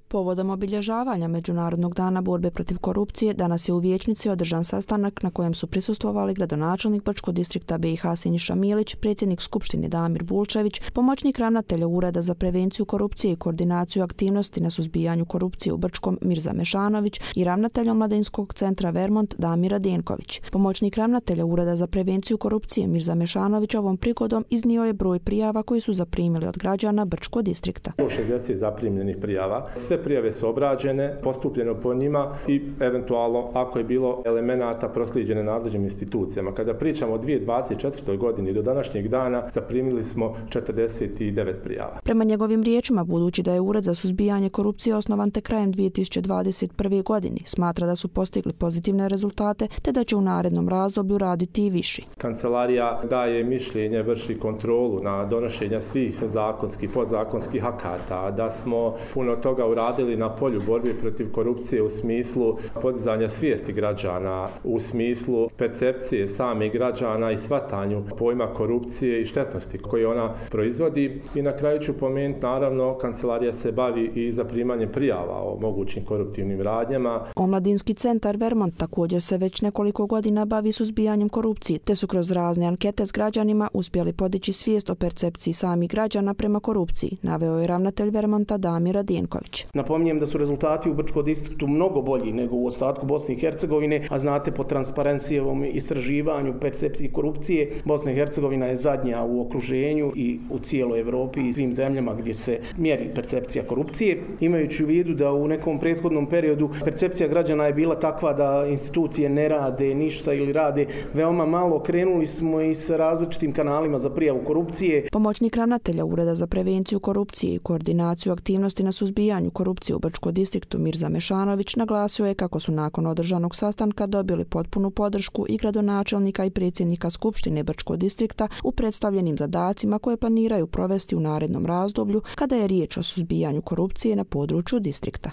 Povodom obilježavanja Međunarodnog dana borbe protiv korupcije, danas je u vijećnici održan sastanak na kojem su prisustvovali gradonačelnik Brčkog distrikta BiH Siniša Milić, predsjednik Skupštine Damir Bulčević, pomoćnik ravnatelja Ureda za prevenciju korupcije i koordinaciju aktivnosti na suzbijanju korupcije u Brčkom Mirza Mešanović i ravnatelj Omladinskog centra Vermont Damir Denković. Pomoćnik ravnatelja Ureda za prevenciju korupcije Mirza Mešanović ovom prigodom iznio je broj prijava koji su zaprimili od građana Brčkog distrikta. 60 zaprimljenih prijava. Sve prijave su obrađene, postupljeno po njima i eventualno ako je bilo elemenata proslijeđene nadležnim institucijama. Kada pričamo o 2024. godini do današnjeg dana zaprimili smo 49 prijava. Prema njegovim riječima, budući da je Ured za suzbijanje korupcije osnovan tek krajem 2021. godini, smatra da su postigli pozitivne rezultate te da će u narednom razdoblju raditi i viši. Kancelarija daje mišljenje, vrši kontrolu na donošenje svih zakonskih, podzakonskih akata, da smo puno toga uradili na polju borbe protiv korupcije u smislu podizanja svijesti građana, u smislu percepcije samih građana i shvatanju pojma korupcije i štetnosti koje ona proizvodi. I na kraju ću pomenuti, naravno, kancelarija se bavi i zaprimanjem prijava o mogućim koruptivnim radnjama. Omladinski centar Vermont također se već nekoliko godina bavi suzbijanjem korupcije, te su kroz razne ankete s građanima uspjeli podići svijest o percepciji samih građana prema korupciji, naveo je ravnatelj Vermonta Damir Denković. Napominjem da su rezultati u Brčkom distriktu mnogo bolji nego u ostatku Bosne i Hercegovine, a znate po Transparencyjevom istraživanju percepciji korupcije, Bosna i Hercegovina je zadnja u okruženju i u cijeloj Evropi i svim zemljama gdje se mjeri percepcija korupcije. Imajući u vidu da u nekom prethodnom periodu percepcija građana je bila takva da institucije ne rade ništa ili rade veoma malo, krenuli smo i sa različitim kanalima za prijavu korupcije. Pomoćnik ravnatelja Ureda za prevenciju korupcije i koordinaciju aktivnosti na suzbijanju korupcije u Brčkom distriktu Mirza Mešanović naglasio je kako su nakon održanog sastanka dobili potpunu podršku i gradonačelnika i predsjednika Skupštine Brčkog distrikta u predstavljenim zadacima koje planiraju provesti u narednom razdoblju kada je riječ o suzbijanju korupcije na području distrikta.